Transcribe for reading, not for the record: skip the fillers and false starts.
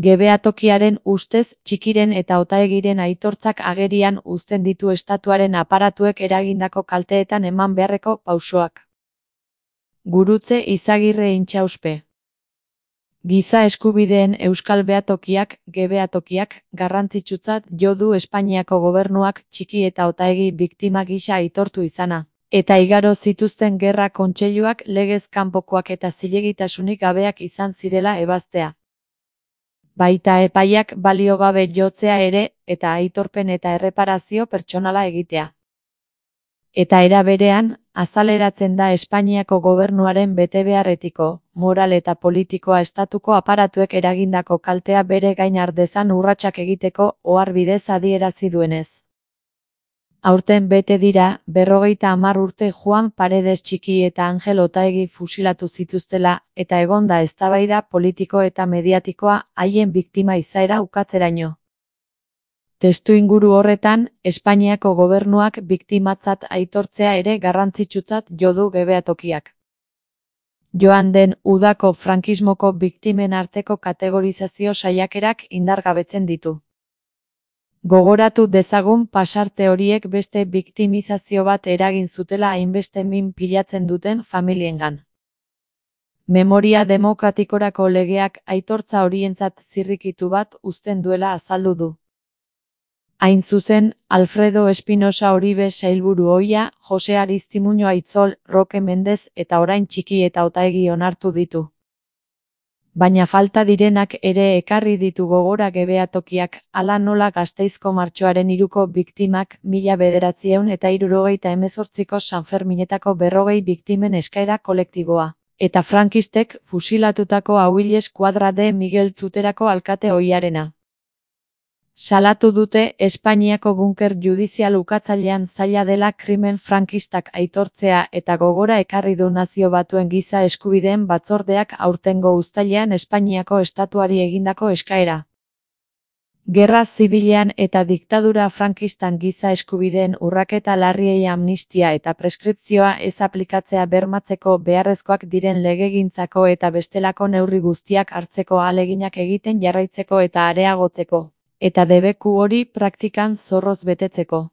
Gebeatokiaren ustez Txikiren eta Otaegiren aitortzak agerian uzten ditu estatuaren aparatuek eragindako kalteetan eman beharreko pausoak. Gurutze Izagirre Intxauspe. Giza eskubideen euskal behatokiak, gebeatokiak, garrantzitsutzat jo du Espainiako gobernuak Txiki eta Otaegi biktima gisa aitortu izana, eta igaro zituzten gerra kontseiluak legez kanpokoak eta zilegitasunik gabeak izan zirela ebaztea. Baita epaiak balio gabe jotzea ere, eta aitorpen eta erreparazio pertsonala egitea. Eta era berean, azaleratzen da Espainiako gobernuaren betebehar etiko, moral eta politikoa estatuko aparatuek eragindako kaltea bere gain har dezan urratsak egiteko ohar bidez adierazi duenez. Aurten bete dira, 50 urte Juan Paredes Txiki eta Angel Otaegi fusilatu zituztela, eta egon da eztabaida politiko eta mediatikoa haien biktima izaera ukatzeraino. Testuinguru horretan, Espainiako gobernuak biktimatzat aitortzea ere garrantzitsutzat jo du gebeatokiak. Joan den udako frankismoko biktimen arteko kategorizazio saiakerak indargabetzen ditu. Gogoratu dezagun pasarte horiek beste biktimizazio bat eragin zutela hainbeste min pilatzen duten familiengan. Memoria demokratikorako legeak aitortza horientzat zirrikitu bat uzten duela azaldu du. Hain zuzen, Alfredo Espinosa Oribe sailburu ohia, Jose Aristimuño Aitzol, Roque Mendez eta orain Txiki eta Otaegi onartu ditu. Baina falta direnak ere ekarri ditu gogora gebeatokiak, hala nola Gasteizko martxoaren 3ko biktimak, 1978ko Sanferminetako 40 biktimen eskaera kolektiboa, eta frankistek fusilatutako Ahuiles Kuadra de Miguel Tuterako alkate ohiarena. Salatu dute Espainiako bunker judizial ukatzailean zaila dela krimen frankistak aitortzea eta gogora ekarri du Nazio Batuen Giza Eskubideen Batzordeak aurtengo uztailean Espainiako estatuari egindako eskaera. Gerra zibilean eta diktadura frankistan giza eskubideen urraketa larriei amnistia eta preskripzioa ez aplikatzea bermatzeko beharrezkoak diren legegintzako eta bestelako neurri guztiak hartzeko ahaleginak egiten jarraitzeko eta areagotzeko, eta debeku hori praktikan zorroz betetzeko.